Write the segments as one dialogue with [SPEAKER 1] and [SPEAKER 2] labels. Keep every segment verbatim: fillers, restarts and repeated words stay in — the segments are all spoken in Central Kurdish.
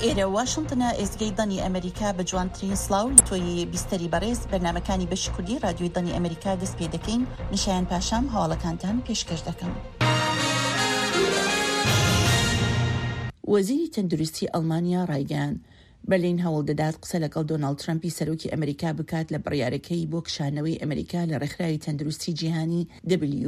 [SPEAKER 1] ئێرە واشنتنە، ئێزگەی دەنگی ئەمریکا. بە جوانترین سڵاو لە تۆی بیستەری بەڕێز، بەرنامەکانی بەشی کوردی رادیۆی دەنگی ئەمریکا دەست پێ دەکەین. نشایان پاشام هەواڵەکانتان پێشکەش دەکەم. وەزیری تەندروستی ئەڵمانیا ڕایگەیاند، بەرلین هەوڵ دەدات قسە لەگەڵ دۆناڵد ترەمپی سەرۆکی ئەمریکا بکات لە بڕیارەکەی بۆ کشانەوەی ئەمریکا لە ڕێکخراوی تەندروستی جیهانی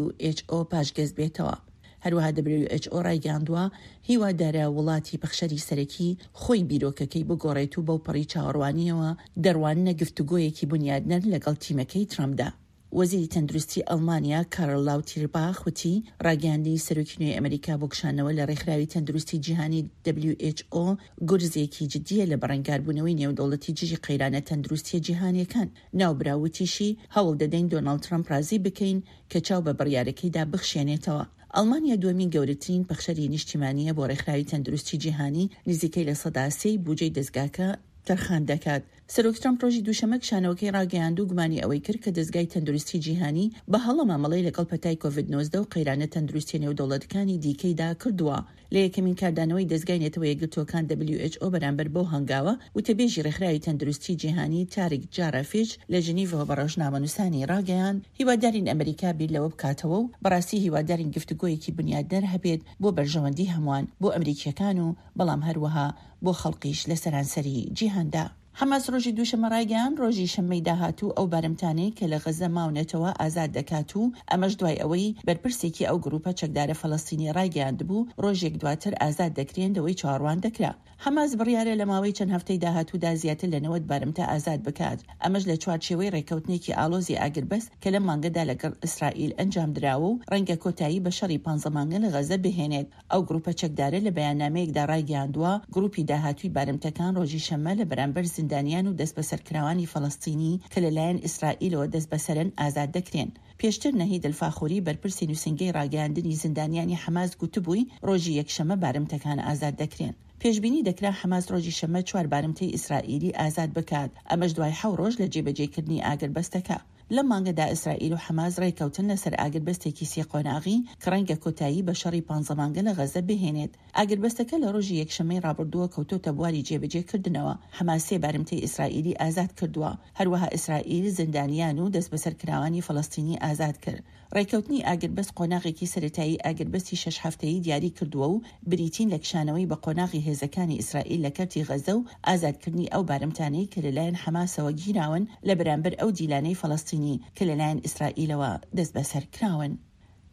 [SPEAKER 1] W H O پاشگەز بێتەوە. هەروەها W H O ڕایگەیاندووە، هیوادارە وڵاتی پەخشەری سەرەکی خۆی بیرۆکەکەی بگۆڕێت و بەوپەڕی چاوەڕوانیەوە دەڕواننە گفتوگۆیەکی بونیادنەر لەگەڵ تیمەکەی ترەمپدا. وەزیری تەندروستی ئەڵمانیا کارل لاوتیرباخ وتی، ڕاگەیاندنی سەرۆکی نوێی ئەمریکا بۆ کشانەوە لە ڕێکخراوی تەندروستی جیهانی W H O گورزێکی جدیە لە بەرەنگاربوونەوەی نێودەوڵەتی دژی قەیرانە تەندروستیە جیهانیەکان. ناوبراو وتیشی، هەوڵ دەدەین دۆناڵد ترەمپ ڕازی بکەین کە چاو بە بڕیارەکەیدا بخشێنێتەوە. ئەڵمانیا دووەمین گەورەترین پەخشەری نیشتیمانیە بۆ ڕێکخراوی تەندروستی جیهانی، نزیکەی لە سەدا سێی بوجەی دەزگاکە تەرخان دەکات. سەرۆک ترەمپ ڕۆژی دووشەممە کشانەوەکەی ڕاگەیاند و گومانی ئەوەی کرد کە دەزگای تەندروستی جیهانی بە هەڵە مامەڵەی لەگەڵ پەتای کۆڤید نۆزدە و قەیرانە تەندروستیە نێودەوڵەتەکانی دیکەیدا کردووە. لە یەکەمین کاردانەوەی دەزگای نەتەوە یەکگرتووەکان W H O بەرامبەر بەو هەنگاوە، وتەبێژی ڕێکخراوی تەندروستی جیهانی تاریک جارافیچ لە ژنیڤەوە بە ڕۆژنامەنووسانی ڕاگەیاند، هیوادارین ئەمریکا بیر لەوە بکاتەوە و بەڕاستی هیوادارین گفتوگۆیەکی بنیادنەر هەبێت بۆ بەرژەوەندی هەمووان، بۆ ئەمریکیەکان و بەڵام هەروەها بۆ خەڵکیش لە سەرانسەری جیهاندا. حەماس ڕۆژی دووشەممە ڕایگەیاند، ڕۆژی شەممەی داهاتوو ئەو بارمتانەی کە لە غەززە ماونەتەوە ئازاد دەکات و ئەمەش دوای ئەوەی بەرپرسێکی ئەو گروپە چەکدارە فەلەستینیە ڕایگەیاندبوو ڕۆژێک دواتر ئازاد دەکرێن لەوەی چاوەڕوان دەکرا. حەماس بڕیارە لە ماوەی چەند هەفتەی داهاتوودا زیاتر لە نەوەد بارمتە ئازاد بکات، ئەمەش لە چوارچێوەی ڕێککەوتنێکی ئاڵۆزی ئاگربەست کە لەم مانگەدا لەگەڵ ئیسرائیل ئەنجامدراوە و ڕەنگە کۆتایی بە شەڕی پانزە مانگە لە غەززە بهێنێت. ئەو گروپە چەکدارە لە بەیاننامەیەکدا ڕایگەیاندووە، گروپی داهاتووی بارمتەکان ڕۆژی شەممە لە بەرامبەر زیندانیان و دەستبەسەرکراوانی فەلەستینی کە لەلایەن ئیسرائیلەوە دەستبەسەرن ئازاد دەکرێن. پێشتر نەهید الفاخوری بەرپرسی نووسینگەی ڕاگەیاندنی زیندانیانی حەماس گوتبووی ڕۆژی یەکشەممە بارمتەکان ئازاد دەکرێن. پێشبینی دەکرا حەماس ڕۆژی شەممە چوار بارمتەی ئیسرائیلی ئازاد بکات، ئەمەش دوای حەوت ڕۆژ لە جێبەجێکردنی ئاگربەستەکە. لەم مانگەدا ئیسرائیل و حەماس ڕێککەوتن لەسەر ئاگربەستێکی سێ قۆناغی کە ڕەنگە کۆتایی بە شەڕی پانزە مانگە لە غەززە بهێنێت. ئاگربەستەکە لە ڕۆژی یەکشەممەی ڕابردووە کەوتۆتە بواری جێبەجێکردنەوە. حەماس سێ بارمتەی ئیسرائیلی ئازاد کردووە. هەروەها ئیسرائیل زیندانیان و دەستبەسەرکراوانی فەلەستینی ئازاد کرد. ڕێککەوتنی ئاگربەست قۆناغێکی سەرەتایی ئاگربەستی شەش هەفتەیی دیاری کردووە و بریتین لە کشانەوەی بە قۆناغی هێزەکانی ئیسرائیل لە کەرتی غەززە و ئازادکردنی ئەو بارمتانەی کە لەلایەن حەماسەوە گیراون لە بەرامبەر ئەو دیلانەی فەلەستینی کە لەلایەن ئیسرائیلەوە دەستبەسەر کراون.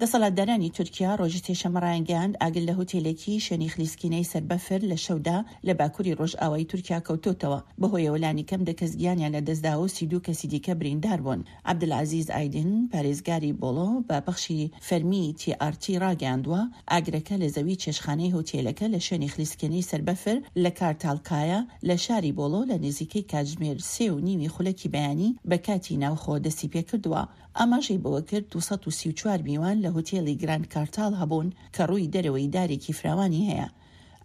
[SPEAKER 1] دەسەڵاتدارانی تورکیا ڕۆژی سێشەممە ڕایانگەیاند، ئاگر لە هوتێلێکی شوێنی خلیسکینەی سەر بەفر لە شەودا لە باکووری ڕۆژئاوای تورکیا کەوتۆتەوە، بەهۆیەوە لانیکەم دە کەس گیانیان لەدەستداوە و سی و دوو کەسی دیکە بریندار بوون. عەبدولعەزیز ئایدن پارێزگاری بۆڵۆ بە پەخشی فەرمی تی ئار تی ڕاگەیاندووە، ئاگرەکە لە زەوی چێشتخانەی هوتێلەکە لە شوێنی خلیسکێنەی سەر بەفر لە کارتالکایا لە شاری بۆڵۆ لە نزیکەی کاتژمێر سێ و نیوی خولەکی بەیانی بە کاتی ناوخۆ دەستی پێکردووە. ئاماژەی بەوەکرد، دوو سەد و سی و چوار میوان لە هوتێلی گراند کارتاڵ هەبوون کە ڕووی دەرەوەی دارێکی فراوانی هەیە.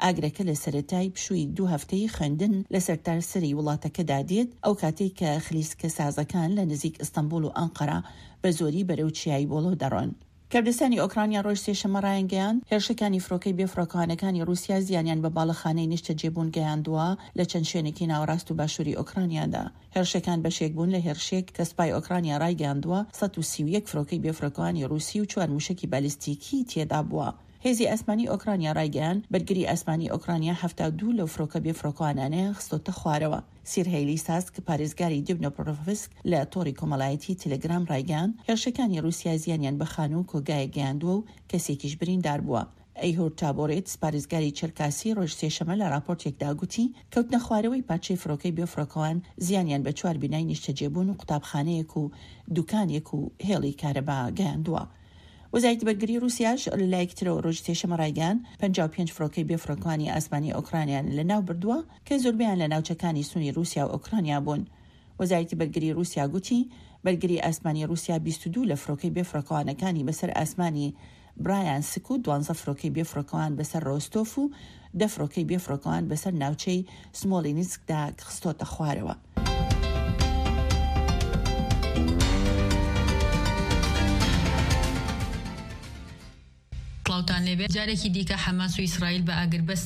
[SPEAKER 1] ئاگرەکە لە سەرەتای پشووی دوو هەفتەی خوێندن لە سەرتاسەری وڵاتەکەدا دێت، ئەو کاتەی کە خلیسکەسازەکان لە نزیک ئیستەنبوڵ و ئەنقەرە بە زۆری بەرەو چیای بۆڵۆ دەڕۆن. کەردستانی ئۆکرانیا ڕۆژ سێشەممە ڕایانگەیاند، هێرشەکانی فڕۆکەی بێفڕۆکەوانەکانی ڕووسیا زیانیان بە باڵەخانەی نیشتەجێبوون گەیاندووە لە چەند شوێنێکی ناوەڕاست و باشووری ئۆکرانیادا. هێرشەکان بەشێک بوون لە هێرشێک کە سوپای ئۆکرانیا ڕایگەیاندووە سەد و سی و یەک فڕۆکەی بێفڕۆکەوانی ڕووسی و چوار مووشەکی بالیستیکی تێدابووە. هێزی ئاسمانی ئۆکرانیا ڕایگەیاند، بەرگری ئاسمانی ئۆکرانیا حەفتا و دوو لەو فڕۆکە بێفڕۆکەوانانەیان خستۆتە خوارەوە. سیرهەیلی ساسک، پارێزگاری دبنۆپرۆڤسک لە تۆڕی کۆمەڵایەتی تەلەگرام ڕایگەیاند، هێرشەکانی ڕووسیا زیانیان بە خانوو و کۆگایەک گەیاندووە و کەسێکیش بریندار بووە. ئەیهور تابۆرێتس، پارێزگاری چەرکاسی ڕۆژ سێشەممە لە ڕاپۆرتێکدا گوتی، کەوتنە خوارەوەی پارچەی فڕۆکەی بێفڕۆکەوان زیانیان بە چوار بینای نیشتەجێبوون و قوتابخانەیەک و دوکانێک و هێڵی کارەبا گەیاندووە. وەزارەتی بەرگری ڕووسیاش لە لایەکی ترەوە ڕۆژی سێشەممە ڕایگەیاند، پەنجا و پێنج فڕۆکەی بێفڕۆکەوانی ئاسمانی ئۆکرانیان لەناو بردووە کە زۆربەیان لە ناوچەکانی سنووری ڕووسیا و ئۆکرانیا بوون. وەزارەتی بەرگری ڕووسیا گوتی، بەرگری ئاسمانی ڕووسیا بیست و دوو لە فڕۆکەی بێفڕۆکەوانەکانی بەسەر ئاسمانی برایانسک و دوانزە فڕۆکەی بێفڕۆکەوان بەسەر ڕۆستۆف و دە فڕۆکەی بێفڕۆکەوان بەسەر ناوچەی سمۆلینسکدا خستۆتە خوارەوە.
[SPEAKER 2] سڵاوتان لێبێت، جارێکی دیکە حەماس و ئیسرائیل بە ئاگربەست